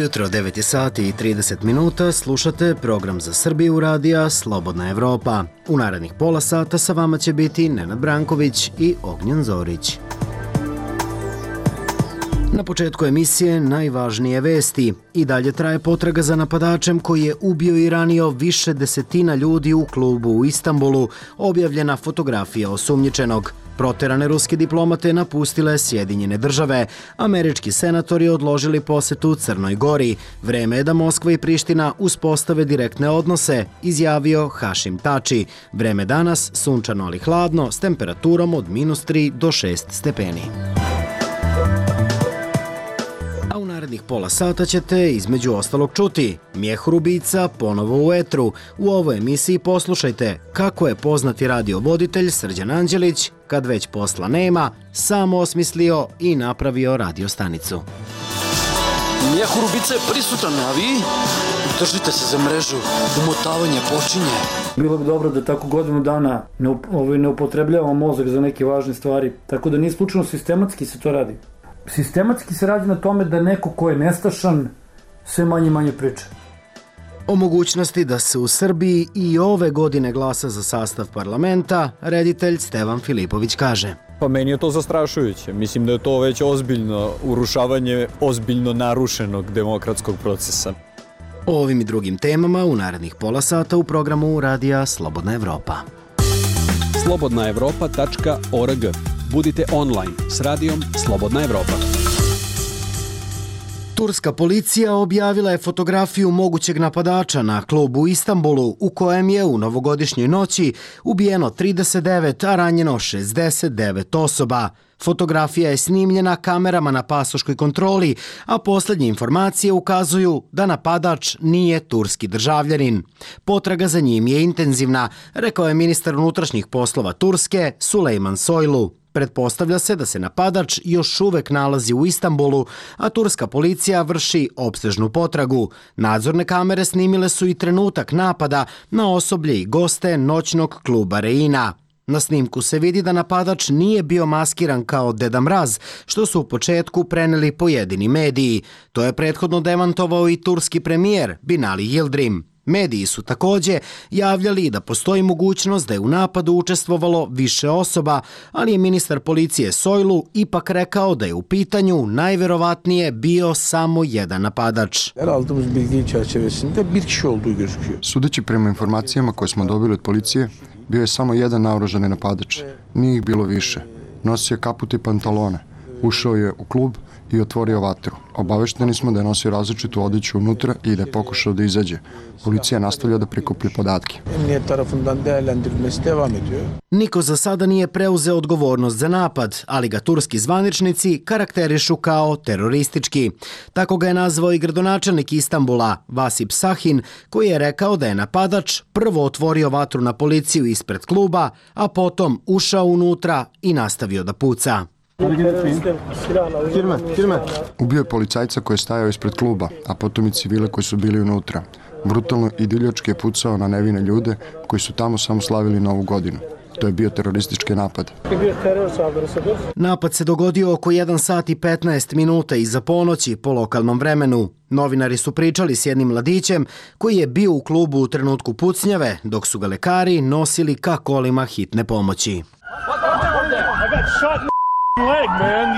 Dobro jutro, 9 je sati i 30 minuta, slušate program za Srbiju radija Slobodna Evropa. U narednih pola sata sa vama će biti Nenad Branković i Ognjen Zorić. Na početku emisije najvažnije vesti. I dalje traje potraga za napadačem koji je ubio i ranio više desetina ljudi u klubu u Istanbulu, objavljena fotografija osumnjičenog. Proterane ruske diplomate napustile Sjedinjene države. Američki senatori odložili posetu Crnoj Gori. Vreme je da Moskva i Priština uspostave direktne odnose, izjavio Hašim Tači. Vreme danas sunčano ali hladno s temperaturom od -3 do 6 stepeni. A u narednih pola sata ćete između ostalog čuti Mjehur ubica ponovo u etru. U ovoj emisiji poslušajte kako je poznati radiovoditelj Srđan Anđelić, kad već posla nema, sam osmislio i napravio radiostanicu. Mjehur ubica je prisutan, a vi držite se za mrežu. Umotavanje počinje. Bilo bi dobro da tako godinu dana ne upotrebljavamo mozak za neke važne stvari. Tako da nije slučajno sistematski se to radi. Sistematski se radi na tome da neko ko je nestašan sve manje priča. O mogućnosti da se u Srbiji i ove godine glasa za sastav parlamenta, reditelj Stevan Filipović kaže. Pa meni je to zastrašujuće. Mislim da je to već ozbiljno urušavanje ozbiljno narušenog demokratskog procesa. O ovim i drugim temama u narednih pola sata u programu Radija Slobodna Evropa. slobodnaevropa.org. Budite online s radijom Slobodna Evropa. Turska policija objavila je fotografiju mogućeg napadača na klubu u Istanbulu u kojem je u novogodišnjoj noći ubijeno 39, a ranjeno 69 osoba. Fotografija je snimljena kamerama na pasoškoj kontroli, a posljednje informacije ukazuju da napadač nije turski državljanin. Potraga za njim je intenzivna, rekao je ministar unutrašnjih poslova Turske Sulejman Soylu. Pretpostavlja se da se napadač još uvek nalazi u Istanbulu, a turska policija vrši opsežnu potragu. Nadzorne kamere snimile su i trenutak napada na osoblje i goste noćnog kluba Reina. Na snimku se vidi da napadač nije bio maskiran kao Deda Mraz, što su u početku preneli pojedini mediji. To je prethodno demantovao i turski premijer Binali Yildirim. Mediji su također javljali da postoji mogućnost da je u napadu učestvovalo više osoba, ali je ministar policije Soylu ipak rekao da je u pitanju najverovatnije bio samo jedan napadač. Sudeći prema informacijama koje smo dobili od policije, bio je samo jedan naoružani napadač. Nije ih bilo više. Nosio je kaput i pantalone. Ušao je u klub i otvorio vatru. Obavešteni smo da je nosio različitu odeću unutra i da je pokušao da izađe. Policija nastavlja da prikuplja podatke. Niko za sada nije preuzeo odgovornost za napad, ali ga turski zvaničnici karakterišu kao teroristički. Tako ga je nazvao i gradonačelnik Istanbula, Vasip Sahin, koji je rekao da je napadač prvo otvorio vatru na policiju ispred kluba, a potom ušao unutra i nastavio da puca. Ubio je policajca koji je stajao ispred kluba, a potom i civile koji su bili unutra. Brutalno i divljački je pucao na nevine ljude koji su tamo samo slavili Novu godinu. To je bio teroristički napad. Napad se dogodio oko 1 sat i 15 minuta iza ponoći po lokalnom vremenu. Novinari su pričali s jednim mladićem koji je bio u klubu u trenutku pucnjave, dok su ga lekari nosili ka kolima hitne pomoći.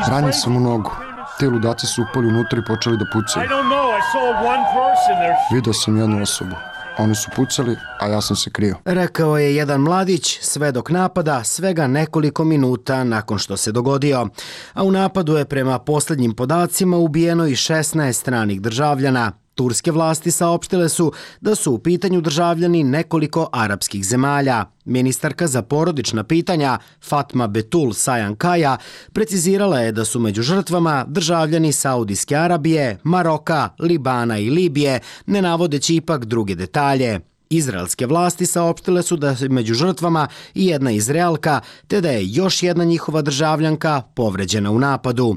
Ranjen sam u nogu. Te ludaci su upali unutra i počeli da pucaju. Vidio sam jednu osobu. Oni su pucali, a ja sam se krio. Rekao je jedan mladić, svedok napada, svega nekoliko minuta nakon što se dogodio. A u napadu je prema posljednjim podacima ubijeno i 16 stranih državljana. Turske vlasti saopštile su da su u pitanju državljani nekoliko arapskih zemalja. Ministarka za porodična pitanja Fatma Betul Sajan-Kaya precizirala je da su među žrtvama državljani Saudijske Arabije, Maroka, Libana i Libije, ne navodeći ipak druge detalje. Izraelske vlasti saopštile su da je među žrtvama i jedna Izraelka, te da je još jedna njihova državljanka povređena u napadu.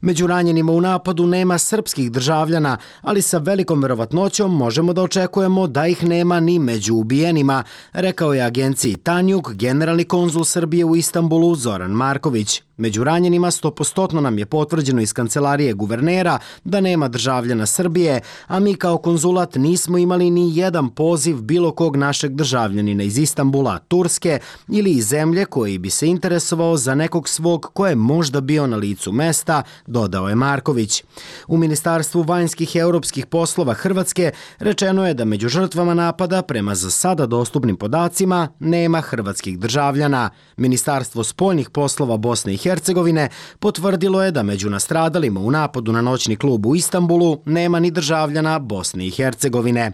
Među ranjenima u napadu nema srpskih državljana, ali sa velikom verovatnoćom možemo da očekujemo da ih nema ni među ubijenima, rekao je agenciji Tanjug generalni konzul Srbije u Istanbulu Zoran Marković. Među ranjenima 100% nam je potvrđeno iz kancelarije guvernera da nema državljana Srbije, a mi kao konzulat nismo imali ni jedan poziv bilo kog našeg državljanina iz Istanbula, Turske ili iz zemlje koji bi se interesovao za nekog svog ko je možda bio na licu mesta, dodao je Marković. U Ministarstvu vanjskih i europskih poslova Hrvatske rečeno je da među žrtvama napada prema za sada dostupnim podacima nema hrvatskih državljana. Ministarstvo spoljnih poslova Bosne i Hercegovine potvrdilo je da među nastradalima u napadu na noćni klub u Istanbulu nema ni državljana Bosne i Hercegovine.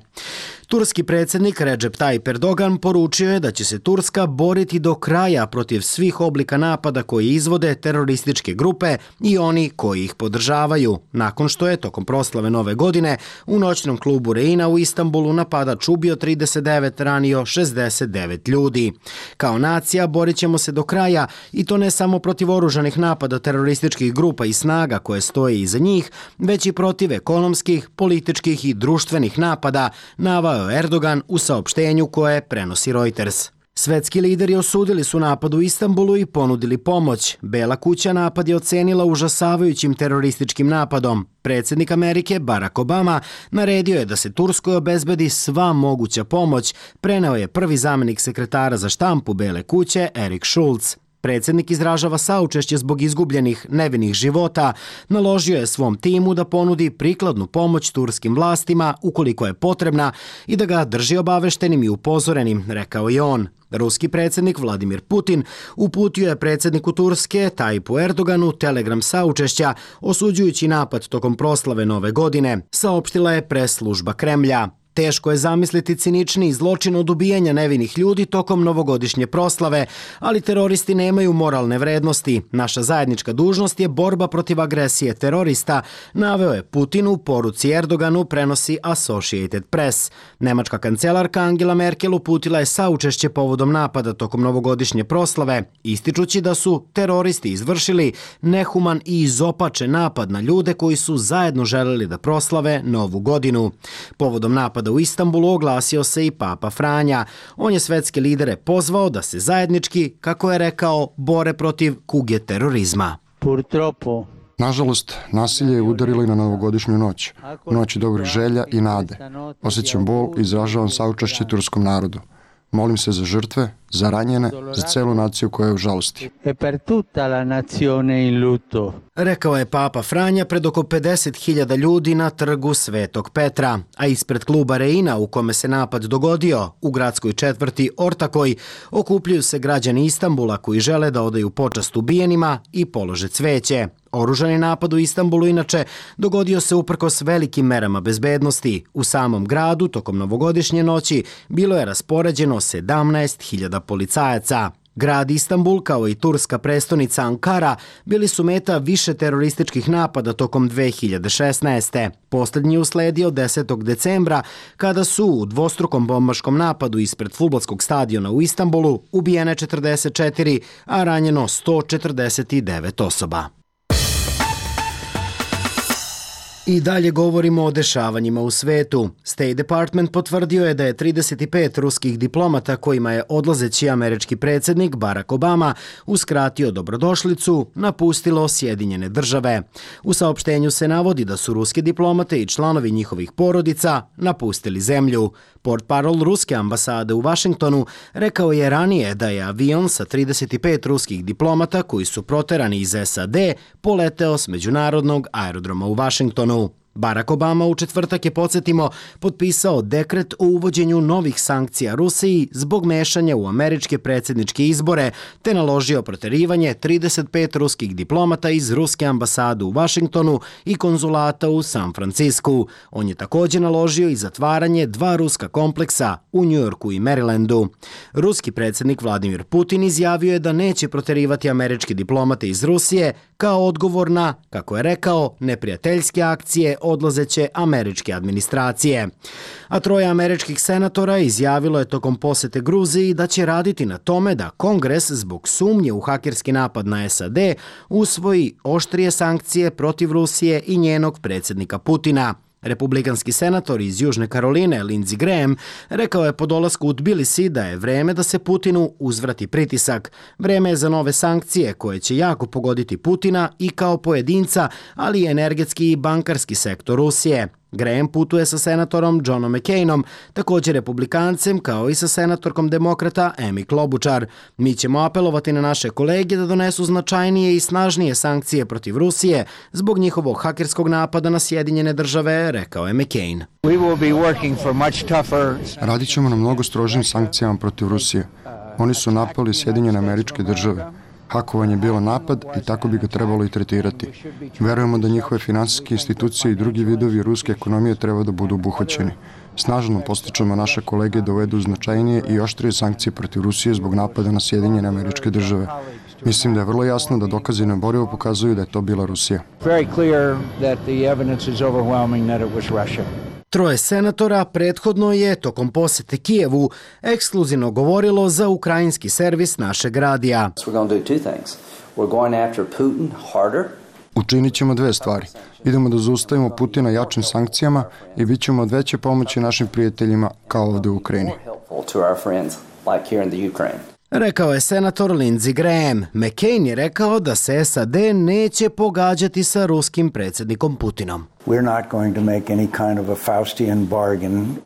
Turski predsjednik Recep Tayyip Erdogan poručio je da će se Turska boriti do kraja protiv svih oblika napada koji izvode terorističke grupe i oni koji ih podržavaju, nakon što je tokom proslave Nove godine u noćnom klubu Reina u Istanbulu napadač ubio 39, ranio 69 ljudi. Kao nacija borit ćemo se do kraja i to ne samo protiv oružanih napada terorističkih grupa i snaga koje stoje iza njih, već i protiv ekonomskih, političkih i društvenih napada, naveo Erdogan u saopštenju koje prenosi Reuters. Svetski lideri osudili su napad u Istanbulu i ponudili pomoć. Bela kuća napad je ocenila užasavajućim terorističkim napadom. Predsjednik Amerike Barack Obama naredio je da se Turskoj obezbedi sva moguća pomoć, preneo je prvi zamjenik sekretara za štampu Bele kuće Eric Schultz. Predsjednik izražava saučešće zbog izgubljenih nevinih života, naložio je svom timu da ponudi prikladnu pomoć turskim vlastima ukoliko je potrebna i da ga drži obaveštenim i upozorenim, rekao je on. Ruski predsjednik Vladimir Putin uputio je predsjedniku Turske Tayyipu Erdoganu telegram saučešća osuđujući napad tokom proslave Nove godine, saopštila je pres služba Kremlja. Teško je zamisliti ciničniji zločin od ubijanja nevinih ljudi tokom novogodišnje proslave, ali teroristi nemaju moralne vrednosti. Naša zajednička dužnost je borba protiv agresije terorista, naveo je Putin u poruci Erdoganu, prenosi Associated Press. Nemačka kancelarka Angela Merkel uputila je saučešće povodom napada tokom novogodišnje proslave, ističući da su teroristi izvršili nehuman i izopačen napad na ljude koji su zajedno želeli da proslave Novu godinu. Povodom napada u Istanbulu oglasio se i Papa Franja. On je svetske lidere pozvao da se zajednički, kako je rekao, bore protiv kuge terorizma. Nažalost, nasilje je udarilo i na novogodišnju noć. Noć dobrih želja i nade. Osjećam bol i izražavam saučešće turskom narodu. Molim se za žrtve, za ranjene, za celu naciju koja je u žalosti. Rekao je Papa Franja pred oko 50.000 ljudi na trgu Svetog Petra, a ispred kluba Reina u kome se napad dogodio, u gradskoj četvrti Ortakoj, okupljuju se građani Istanbula koji žele da odaju počast ubijenima i polože cveće. Oružani napad u Istanbulu inače dogodio se uprkos velikim merama bezbednosti. U samom gradu tokom novogodišnje noći bilo je raspoređeno 17.000 policajaca. Grad Istanbul, kao i turska prestonica Ankara, bili su meta više terorističkih napada tokom 2016. Posljednji usledio 10. decembra, kada su u dvostrukom bombaškom napadu ispred fudbalskog stadiona u Istanbulu ubijene 44, a ranjeno 149 osoba. I dalje govorimo o dešavanjima u svetu. State Department potvrdio je da je 35 ruskih diplomata kojima je odlazeći američki predsjednik Barack Obama uskratio dobrodošlicu napustilo Sjedinjene države. U saopštenju se navodi da su ruske diplomate i članovi njihovih porodica napustili zemlju. Portparol ruske ambasade u Vašingtonu rekao je ranije da je avion sa 35 ruskih diplomata koji su proterani iz SAD poleteo s međunarodnog aerodroma u Vašingtonu. Barack Obama u četvrtak je, podsjetimo, potpisao dekret o uvođenju novih sankcija Rusiji zbog mešanja u američke predsjedničke izbore, te naložio proterivanje 35 ruskih diplomata iz ruske ambasade u Vašingtonu i konzulata u San Francisku. On je također naložio i zatvaranje 2 ruska kompleksa u Njujorku i Marylandu. Ruski predsjednik Vladimir Putin izjavio je da neće proterivati američke diplomate iz Rusije kao odgovor na, kako je rekao, neprijateljske akcije odlazeće američke administracije. A 3 američkih senatora izjavilo je tokom posete Gruziji da će raditi na tome da Kongres zbog sumnje u hakerski napad na SAD usvoji oštrije sankcije protiv Rusije i njenog predsjednika Putina. Republikanski senator iz Južne Karoline Lindsey Graham rekao je po dolasku u Tbilisi da je vreme da se Putinu uzvrati pritisak. Vreme je za nove sankcije koje će jako pogoditi Putina i kao pojedinca, ali i energetski i bankarski sektor Rusije. Graham putuje sa senatorom Johnom McCainom, također republikancem, kao i sa senatorkom demokrata Amy Klobuchar. Mi ćemo apelovati na naše kolege da donesu značajnije i snažnije sankcije protiv Rusije zbog njihovog hakerskog napada na Sjedinjene države, rekao je McCain. Radit ćemo na mnogo strožim sankcijama protiv Rusije. Oni su napali Sjedinjene Američke Države. Hakovanje je bilo napad i tako bi ga trebalo i tretirati. Verujemo da njihove finansijske institucije i drugi vidovi ruske ekonomije treba da budu obuhvaćeni. Snažno postičemo naše kolege da uvedu značajnije i oštrije sankcije protiv Rusije zbog napada na Sjedinjene Američke Države. Mislim da je vrlo jasno da dokazi neoborivo pokazuju da je to bila Rusija. Troje senatora prethodno je tokom posete Kijevu ekskluzivno govorilo za ukrajinski servis našeg radija. Učinit ćemo dve stvari. Idemo da zaustavimo Putina jačim sankcijama i bit ćemo od veće pomoći našim prijateljima kao ovde u Ukrajini. Rekao je senator Lindsey Graham. McCain je rekao da se SAD neće pogađati sa ruskim predsjednikom Putinom.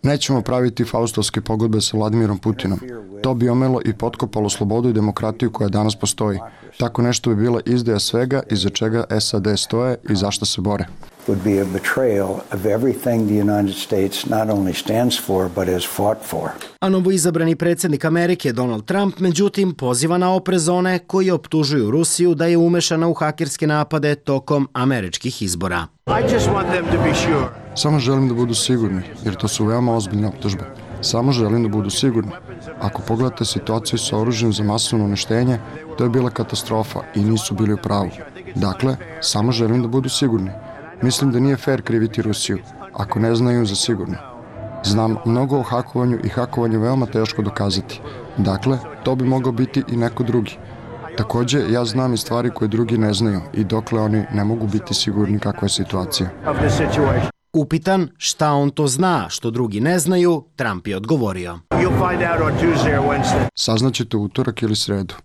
Nećemo praviti faustovske pogodbe sa Vladimirom Putinom. To bi omelo i potkopalo slobodu i demokratiju koja danas postoji. Tako nešto bi bila izdaja svega iza čega SAD stoje i zašto se bore. Would be a betrayal of everything the United States not only stands for, but has fought for. A novoizabrani predsjednik Amerike Donald Trump, međutim, poziva na oprez one koji optužuju Rusiju da je umešana u hakerske napade tokom američkih izbora. Samo želim da budu sigurni, jer to su veoma ozbiljne optužbe. Samo želim da budu sigurni. Ako pogledate situaciju sa oružjem za masovno uništenje, to je bila katastrofa i nisu bili u pravu. Dakle, samo želim da budu sigurni. Mislim da nije fair kriviti Rusiju, ako ne znaju za sigurno. Znam mnogo o hakovanju i hakovanje veoma teško dokazati. Dakle, to bi mogao biti i neko drugi. Također, ja znam i stvari koje drugi ne znaju i dokle oni ne mogu biti sigurni kakva je situacija. Upitan šta on to zna što drugi ne znaju, Trump je odgovorio. Saznaćete utorak ili sredu.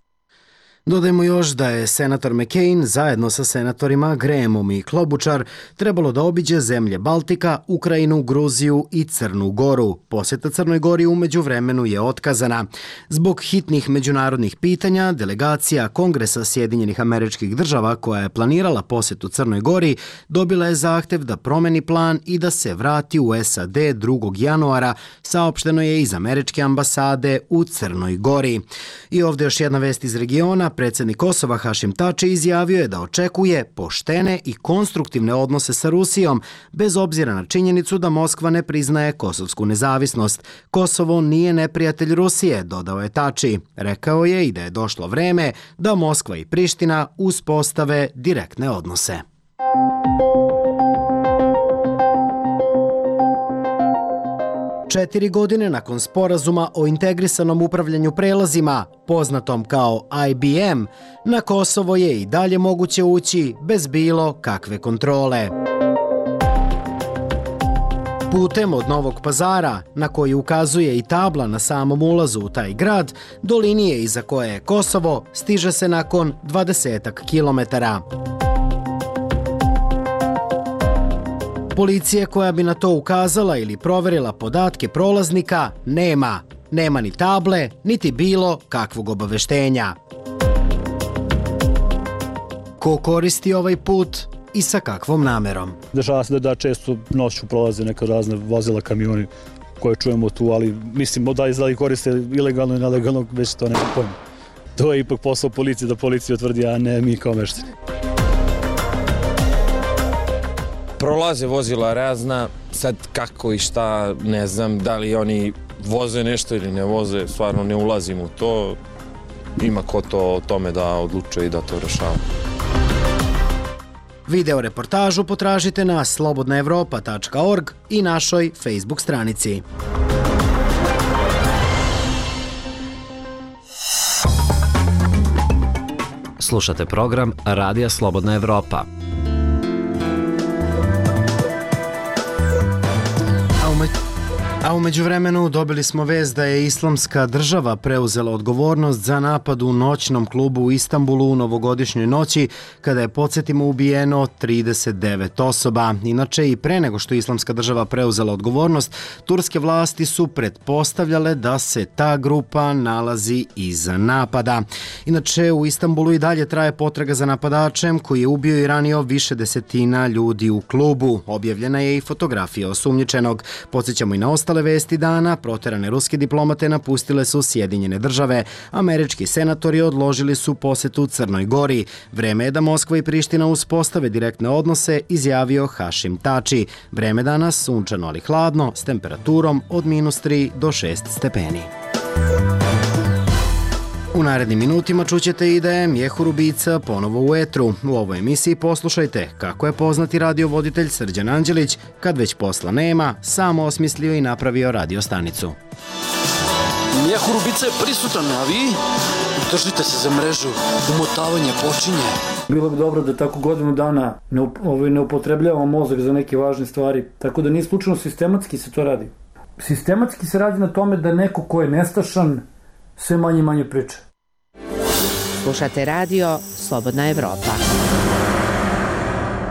Dodajmo još da je senator McCain zajedno sa senatorima Grahamom i Klobuchar trebalo da obiđe zemlje Baltika, Ukrajinu, Gruziju i Crnu Goru. Posjeta Crnoj Gori u međuvremenu je otkazana. Zbog hitnih međunarodnih pitanja, delegacija Kongresa Sjedinjenih Američkih Država koja je planirala posjetu Crnoj Gori dobila je zahtev da promeni plan i da se vrati u SAD 2. januara, saopšteno je iz Američke ambasade u Crnoj Gori. I ovdje još jedna vest iz regiona. Predsjednik Kosova Hašim Tači izjavio je da očekuje poštene i konstruktivne odnose sa Rusijom, bez obzira na činjenicu da Moskva ne priznaje kosovsku nezavisnost. Kosovo nije neprijatelj Rusije, dodao je Tači. Rekao je i da je došlo vreme da Moskva i Priština uspostave direktne odnose. Četiri godine nakon sporazuma o integrisanom upravljanju prelazima, poznatom kao IBM, na Kosovo je i dalje moguće ući bez bilo kakve kontrole. Putem od Novog Pazara, na koji ukazuje i tabla na samom ulazu u taj grad, do linije iza koje je Kosovo, stiže se nakon 20 kilometara. Policije koja bi na to ukazala ili proverila podatke prolaznika nema. Nema ni table, niti bilo kakvog obaveštenja. Ko koristi ovaj put i sa kakvom namerom? Dešava se da često noću prolaze neka razne vozila, kamioni koje čujemo tu, ali mislim da li koriste ilegalno i nelegalno, već to nema pojma. To je ipak posao policije, da policija utvrdi, a ne mi kao meštani. Prolaze vozila razna, sad kako i šta, ne znam, da li oni voze nešto ili ne voze, stvarno ne ulazim u to. Ima ko to o tome da odlučuje i da to rešava. Video reportažu potražite na slobodnaevropa.org i našoj Facebook stranici. Slušate program Radija Slobodna Evropa. A u međuvremenu dobili smo vest da je Islamska država preuzela odgovornost za napad u noćnom klubu u Istanbulu u novogodišnjoj noći, kada je, podsjetimo, ubijeno 39 osoba. Inače, i pre nego što je Islamska država preuzela odgovornost, turske vlasti su pretpostavljale da se ta grupa nalazi iza napada. Inače, u Istanbulu i dalje traje potraga za napadačem koji je ubio i ranio više desetina ljudi u klubu. Objavljena je i fotografija osumnjičenog. Podsjećamo i na ostale vesti dana, proterane ruske diplomate napustile su Sjedinjene države. Američki senatori odložili su posetu Crnoj Gori. Vreme je da Moskva i Priština uspostave direktne odnose, izjavio Hašim Tači. Vreme danas sunčano ali hladno, s temperaturom od -3 do 6 stepeni. U narednim minutima čućete i da je Mjehur Ubica ponovo u etru. U ovoj emisiji poslušajte kako je poznati radiovoditelj Srđan Anđelić, kad već posla nema, samo osmislio i napravio radiostanicu. Mjehur Ubica je prisutan, a vi držite se za mrežu. Umotavanje počinje. Bilo bi dobro da tako godinu dana ne upotrebljavamo mozak za neke važne stvari. Tako da nije slučajno sistematski se to radi. Sistematski se radi na tome da neko ko je nestašan sve manje priča. Slušate radio Slobodna Evropa.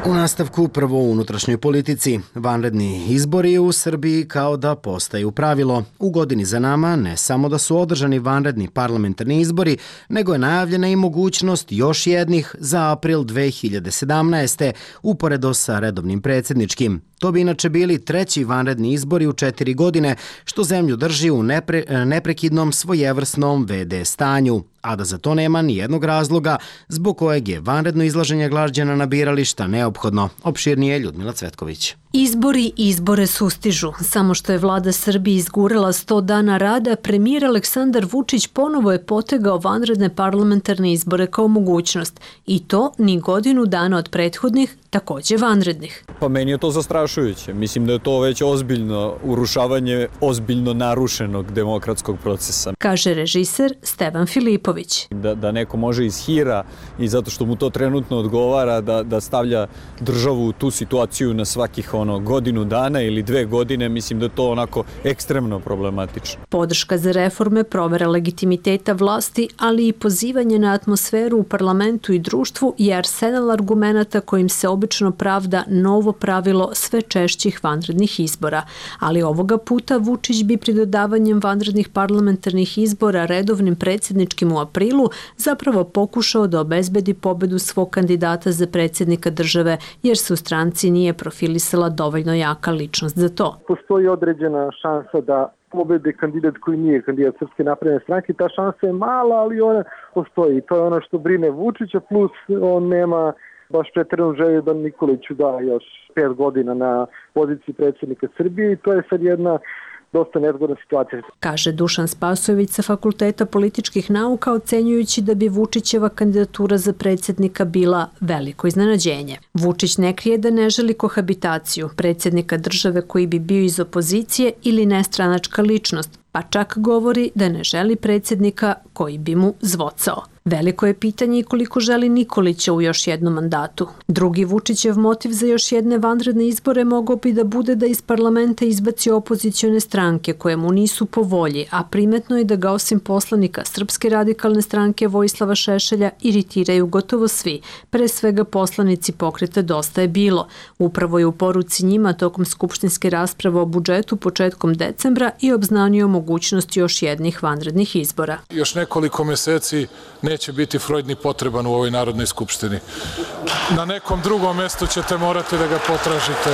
U nastavku prvo u unutrašnjoj politici. Vanredni izbori u Srbiji kao da postaju pravilo. U godini za nama ne samo da su održani vanredni parlamentarni izbori, nego je najavljena i mogućnost još jednih za april 2017. uporedo sa redovnim predsjedničkim. To bi inače bili treći vanredni izbori u 4 godine, što zemlju drži u neprekidnom svojevrsnom VD stanju, a da za to nema ni jednog razloga zbog kojeg je vanredno izlaženje građana na birališta neophodno. Opširnije Ljudmila Cvetković. Izbori izbore sustižu. Samo što je vlada Srbije izgurala 100 dana rada, premijer Aleksandar Vučić ponovo je potegao vanredne parlamentarne izbore kao mogućnost. I to ni godinu dana od prethodnih, takođe vanrednih. Pa meni je to zastrašujuće. Mislim da je to već ozbiljno urušavanje ozbiljno narušenog demokratskog procesa. Kaže režiser Stevan Filipović. Da neko može iz hira i zato što mu to trenutno odgovara da stavlja državu u tu situaciju na svakih godinu dana ili 2 godine, mislim da je to onako ekstremno problematično. Podrška za reforme, provera legitimiteta vlasti, ali i pozivanje na atmosferu u parlamentu i društvu je arsenal argumenata kojim se obično pravda novo pravilo sve češćih vanrednih izbora. Ali ovoga puta Vučić bi pri dodavanjem vanrednih parlamentarnih izbora redovnim predsjedničkim u aprilu zapravo pokušao da obezbedi pobedu svog kandidata za predsjednika države, jer se u stranci nije profilisala dovoljno jaka ličnost za to. Postoji određena šansa da pobede kandidat koji nije kandidat Srpske napredne stranke. Ta šansa je mala, ali ona postoji. I to je ono što brine Vučića, plus on nema baš preteranu želju da Nikoliću da još 5 godina na poziciji predsjednika Srbije i to je sad jedna dosta nezgodna situacija. Kaže Dušan Spasojević sa Fakulteta političkih nauka, ocenjujući da bi Vučićeva kandidatura za predsjednika bila veliko iznenađenje. Vučić ne krije da ne želi kohabitaciju predsjednika države koji bi bio iz opozicije ili nestranačka ličnost, pa čak govori da ne želi predsjednika koji bi mu zvocao. Veliko je pitanje i koliko želi Nikolića u još jednom mandatu. Drugi Vučićev motiv za još jedne vanredne izbore mogao bi da bude da iz parlamenta izbaci opozicione stranke koje mu nisu po volji, a primetno je da ga osim poslanika Srpske radikalne stranke Vojislava Šešelja iritiraju gotovo svi, pre svega poslanici pokreta Dosta je bilo. Upravo je u poruci njima tokom skupštinske rasprave o budžetu početkom decembra i obznanio mogućnost još jednih vanrednih izbora. Još nekoliko meseci neće biti Freud ni potreban u ovoj Narodnoj skupštini. Na nekom drugom mestu ćete morati da ga potražite.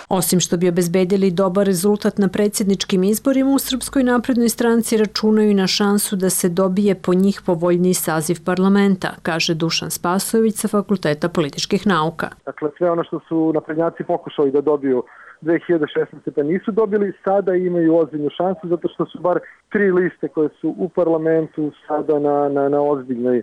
Osim što bi obezbedili dobar rezultat na predsjedničkim izborima, u Srpskoj naprednoj stranci računaju i na šansu da se dobije po njih povoljniji saziv parlamenta, kaže Dušan Spasojević sa Fakulteta političkih nauka. Dakle, sve ono što su naprednjaci pokušali da dobiju 2016. pa nisu dobili, sada imaju ozbiljnu šansu zato što su bar 3 liste koje su u parlamentu sada na ozbiljnoj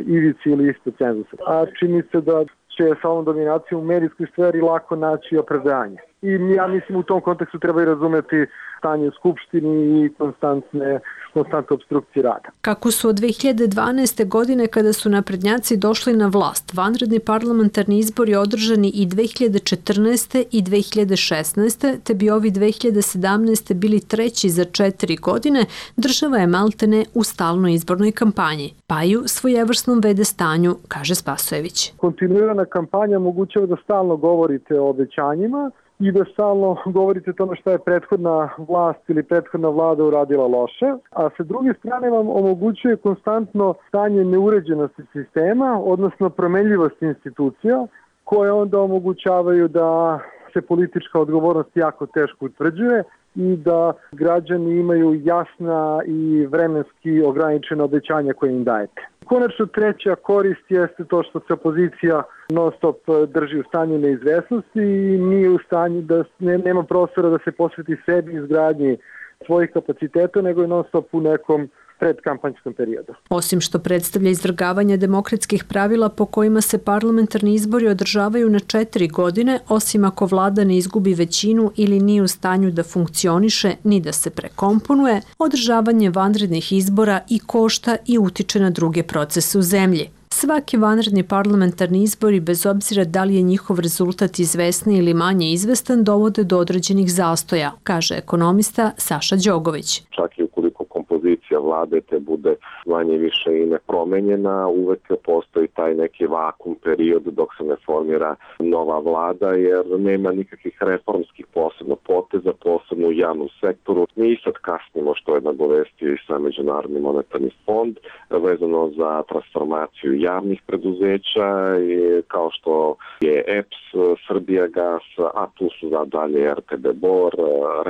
ivici ili ispod cenzusa. A čini se da će sa ovom dominacijom u medijskoj sferi lako naći opravdanje. I ja mislim u tom kontekstu treba i razumeti stanje u Skupštini i konstantne konstantne obstrukcije rada. Kako su od 2012. godine kada su naprednjaci došli na vlast, vanredni parlamentarni izbori održani i 2014. i 2016. te bi ovi 2017. bili treći za 4 godine, država je maltene u stalnoj izbornoj kampanji, pa i u svojevrsnom vede stanju, kaže Spasojević. Kontinuirana kampanja omogućava da stalno govorite o obećanjima i da stalno govorite o tome šta je prethodna vlast ili prethodna vlada uradila loše, a sa druge strane vam omogućuje konstantno stanje neuređenosti sistema, odnosno promenljivosti institucija, koje onda omogućavaju da se politička odgovornost jako teško utvrđuje i da građani imaju jasna i vremenski ograničena obećanja koje im dajete. Konačno treća korist jeste to što se opozicija non stop drži u stanju neizvesnosti i nije u stanju da nema prostora da se posveti sebi izgradnji svojih kapaciteta, nego je non stop u nekom predkampanjskom periodu. Osim što predstavlja izvrgavanje demokratskih pravila po kojima se parlamentarni izbori održavaju na 4 godine, osim ako vlada ne izgubi većinu ili nije u stanju da funkcioniše ni da se prekomponuje, održavanje vanrednih izbora i košta i utiče na druge procese u zemlji. Svaki vanredni parlamentarni izbori, bez obzira da li je njihov rezultat izvesni ili manje izvestan, dovode do određenih zastoja, kaže ekonomista Saša Đogović. Čak i ukoliko kompozicija vlade te bude manje više i nepromenjena, uvek postoji taj neki vakum period dok se ne formira nova vlada, jer nema nikakvih reformskih posebno poteza, posebno u javnom sektoru. Mi sad kasnimo, što je nagovestio i sam Međunarodni monetarni fond, vezano za transformaciju javnih preduzeća, kao što je EPS, Srbijagas, a tu su dalje RTB Bor,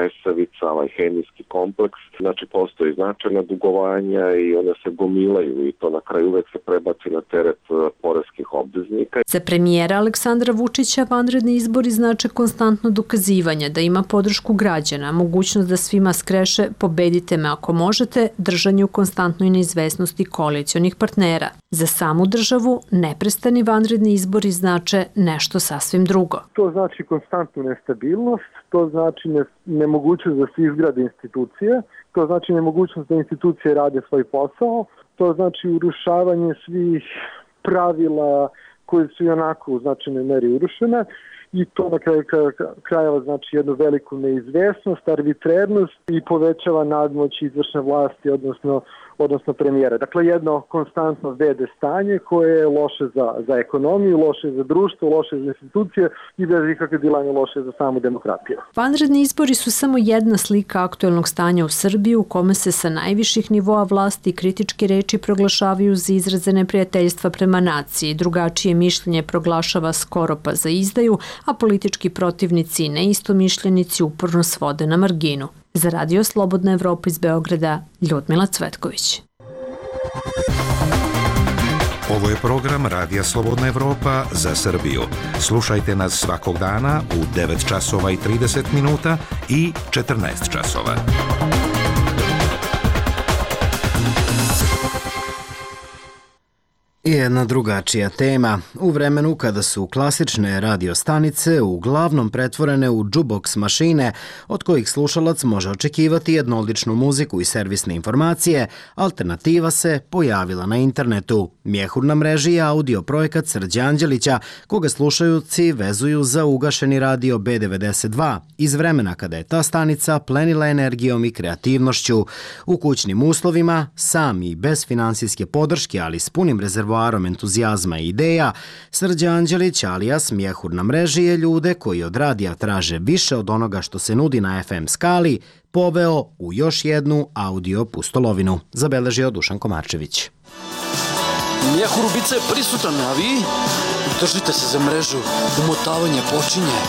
Resavica, ovaj hemijski kompleks. Znači, postoji značajna dugovanja i one se gomilaju i to na kraju uvek se prebaci na teret poreskih obveznika. Za premijera Aleksandra Vučića vanredni izbori znače konstantno dokazivanje da ima podršku građana, mogućnost da svima skreše pobedite me ako možete, držanje u konstantnoj neizvesnosti koalicionih partnera. Za samu državu neprestani vanredni izbori znače nešto sasvim drugo. To znači konstantnu nestabilnost, to znači nemogućnost da se izgrade institucije, to znači nemogućnost da institucije rade svoj posao, to znači urušavanje svih pravila koje su i onako u značajnoj meri urušene i to na kraju krajeva znači jednu veliku neizvesnost, arbitrernost i povećava nadmoć izvršne vlasti, odnosno premijera. Dakle, jedno konstantno vede stanje koje je loše za ekonomiju, loše za društvo, loše za institucije i bez ikakve dilanje loše za samu demokratiju. Vanredni izbori su samo jedna slika aktuelnog stanja u Srbiji u kome se sa najviših nivoa vlasti kritičke reči proglašavaju za izraze neprijateljstva prema naciji, drugačije mišljenje proglašava skoro pa za izdaju, a politički protivnici i neistomišljenici uporno svode na marginu. Za Radio Slobodna Evropa iz Beograda, Ljudmila Cvetković. Ovo je program Radija Slobodna Evropa za Srbiju. Slušajte nas svakog dana u 9 časova i 30 minuta i 14 časova. I jedna drugačija tema. U vremenu kada su klasične radiostanice uglavnom pretvorene u jukebox mašine, od kojih slušalac može očekivati jednoličnu muziku i servisne informacije, alternativa se pojavila na internetu. Mjehur na mreži je audio projekat Srđa Anđelića, koga slušajući vezuju za ugašeni radio B92, iz vremena kada je ta stanica plenila energijom i kreativnošću. U kućnim uslovima, sam i bez finansijske podrške, ali s punim rezervoarom entuzijazma i ideja, Srđa Anđelić alijas Mjehur na mreži je ljude koji od radija traže više od onoga što se nudi na FM skali poveo u još jednu audio pustolovinu, zabeležio Dušan Komarčević. Mjehur ubica je prisutan, a vi držite se za mrežu, umotavanje počinje.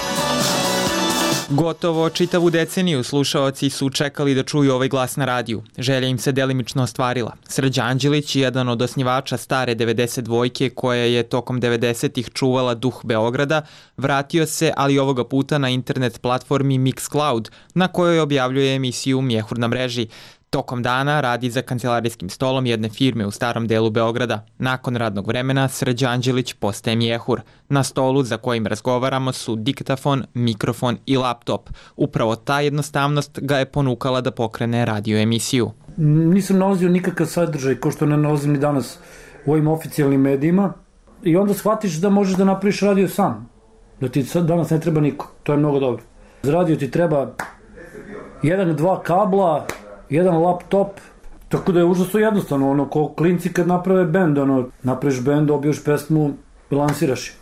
Gotovo čitavu deceniju slušaoci su čekali da čuju ovaj glas na radiju. Želja im se delimično ostvarila. Srđa Anđelić, jedan od osnivača stare 92-ke koja je tokom 90-ih čuvala duh Beograda, vratio se, ali ovoga puta na internet platformi Mixcloud, na kojoj objavljuje emisiju Mjehur na mreži. Tokom dana radi za kancelarijskim stolom jedne firme u starom delu Beograda. Nakon radnog vremena Srđan Anđelić postaje mjehur. Na stolu za kojim razgovaramo su diktafon, mikrofon i laptop. Upravo ta jednostavnost ga je ponukala da pokrene radio emisiju. Nisam nalazio nikakav sadržaj kao što ne nalazim ni danas u ovim oficijalnim medijima i onda shvatiš da možeš da napraviš radio sam. Da ti danas ne treba niko. To je mnogo dobro. Za radio ti treba 1-2 kabla, jedan laptop, tako da je užasno jednostavno, ko klinci kad naprave bend, napraviš bend, dobiješ pesmu i lansiraš je.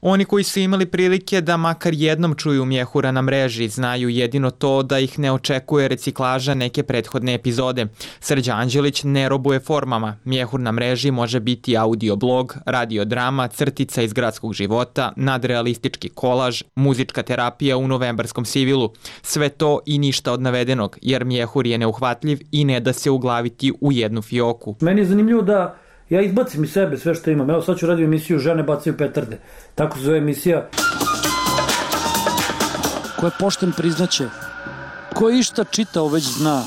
Oni koji su imali prilike da makar jednom čuju mjehura na mreži znaju jedino to da ih ne očekuje reciklaža neke prethodne epizode. Srđan Anđelić ne robuje formama. Mjehur na mreži može biti audio blog, radio drama, crtica iz gradskog života, nadrealistički kolaž, muzička terapija u novembarskom sivilu. Sve to i ništa od navedenog, jer mjehur je neuhvatljiv i ne da se uglaviti u jednu fioku. Meni je zanimljivo da ja izbacim iz sebe sve što imam. Evo sad ću radio emisiju Žene bacaju petarde. Tako se zove emisija. Ko je pošten priznaće. Ko je išta čitao već zna.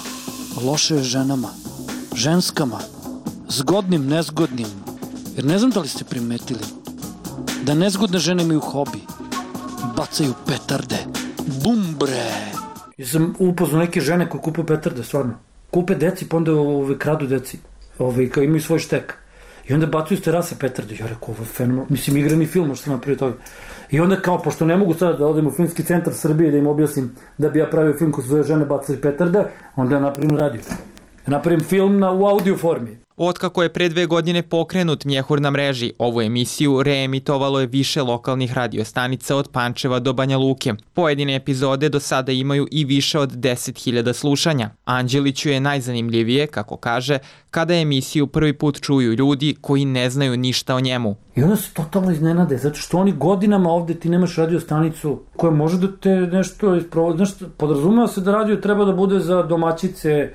Loše je ženama. Ženskama. Zgodnim, nezgodnim. Jer ne znam da li ste primetili da nezgodne žene imaju hobi. Bacaju petarde. Bum bre. Ja sam upoznao neke žene koje kupe petarde, stvarno. Kupe deci, pa onda kradu deci. Kao imaju svoj štek. I onda bacaju s terase petarde. Ja rekao, ovo je fenomenalno. Mislim, igrani film, što napravio toga. I onda kao, pošto ne mogu sada da odem u Filmski centar Srbije da im objasnim da bi ja pravio film koji se zove Žene bacaju petarde, onda ja napravim radio. Ja napravim film u audio formi. Otkako je pre 2 godine pokrenut mjehur na mreži, ovu emisiju reemitovalo je više lokalnih radiostanica od Pančeva do Banja Luke. Pojedine epizode do sada imaju i više od 10.000 slušanja. Anđeliću je najzanimljivije, kako kaže, kada emisiju prvi put čuju ljudi koji ne znaju ništa o njemu. I onda se totalno iznenade, zato što oni godinama ovde ti nemaš radiostanicu koja može da te nešto isprovodi. Podrazumeva se da radio treba da bude za domaćice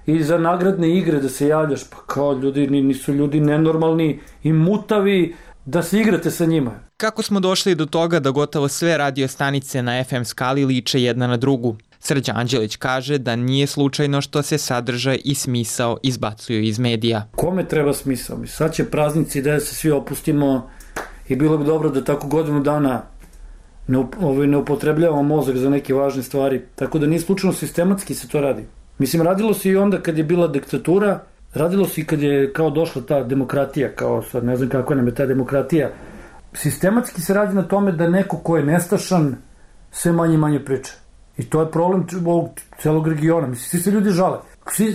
i za nagradne igre da se javljaš, pa kao ljudi, nisu ljudi nenormalni i mutavi da se igrate sa njima. Kako smo došli do toga da gotovo sve radiostanice na FM skali liče jedna na drugu? Srđan Anđelić kaže da nije slučajno što se sadržaj i smisao izbacuju iz medija. Kome treba smisao? Sad će praznici da se svi opustimo i bilo bi dobro da tako godinu dana ne upotrebljavamo mozak za neke važne stvari, tako da nije slučajno sistematski se to radi. Mislim, radilo se i onda kad je bila diktatura, radilo se i kad je kao došla ta demokratija, kao sad ne znam kako nam je ta demokratija. Sistematski se radi na tome da neko ko je nestašan sve manje i manje priča. I to je problem ovog celog regiona. Mislim, svi se ljudi žale.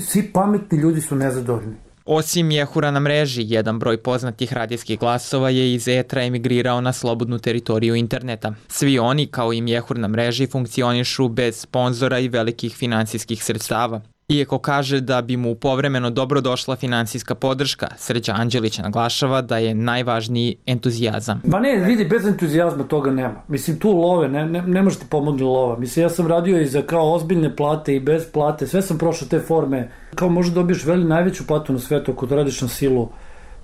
Svi pametni ljudi su nezadovoljni. Osim mjehura na mreži, jedan broj poznatih radijskih glasova je iz etra emigrirao na slobodnu teritoriju interneta. Svi oni, kao i mjehur na mreži, funkcionišu bez sponzora i velikih finansijskih sredstava. Iako kaže da bi mu povremeno dobro došla finansijska podrška, Srđan Anđelić naglašava da je najvažniji entuzijazam. Ma ne, vidi, bez entuzijazma toga nema. Mislim, tu love, ne može ti pomoći lova. Mislim, ja sam radio i za kao ozbiljne plate i bez plate, sve sam prošao te forme. Kao možda dobiješ najveću platu na svetu ako radiš na silu.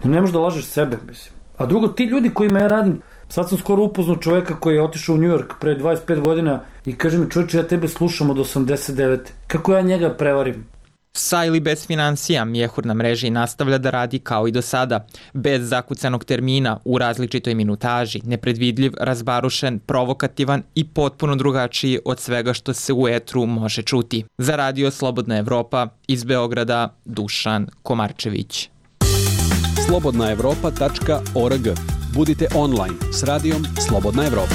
Ne možeš da lažeš sebe, mislim. A drugo, ti ljudi kojima ja radim, sad sam skoro upoznao čoveka koji je otišao u New York pre 25 godina i kaže mi, čovječe, ja tebe slušam od 89. Kako ja njega prevarim? Sa ili bez financija, mjehur na mreži nastavlja da radi kao i do sada, bez zakucanog termina, u različitoj minutaži, nepredvidljiv, razbarušen, provokativan i potpuno drugačiji od svega što se u etru može čuti. Za radio Slobodna Evropa, iz Beograda, Dušan Komarčević. slobodnaevropa.org. Budite online s radijom Slobodna Evropa.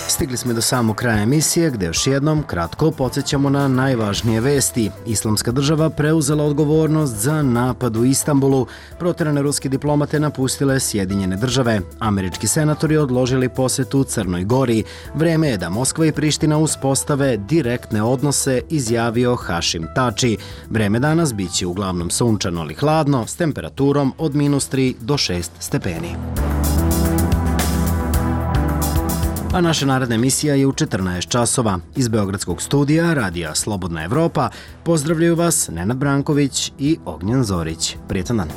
Stigli smo do samog kraja emisije gde još jednom kratko podsjećamo na najvažnije vesti. Islamska država preuzela odgovornost za napad u Istanbulu. Proterane ruske diplomate napustile Sjedinjene države. Američki senatori odložili posetu Crnoj Gori. Vreme je da Moskva i Priština uspostave direktne odnose, izjavio Hašim Tači. Vreme danas biće uglavnom sunčano ali hladno s temperaturom od -3 do 6 stepeni. A naša naredna emisija je u 14 časova. Iz Beogradskog studija Radija Slobodna Evropa pozdravljaju vas Nenad Branković i Ognjen Zorić. Prijetan dan.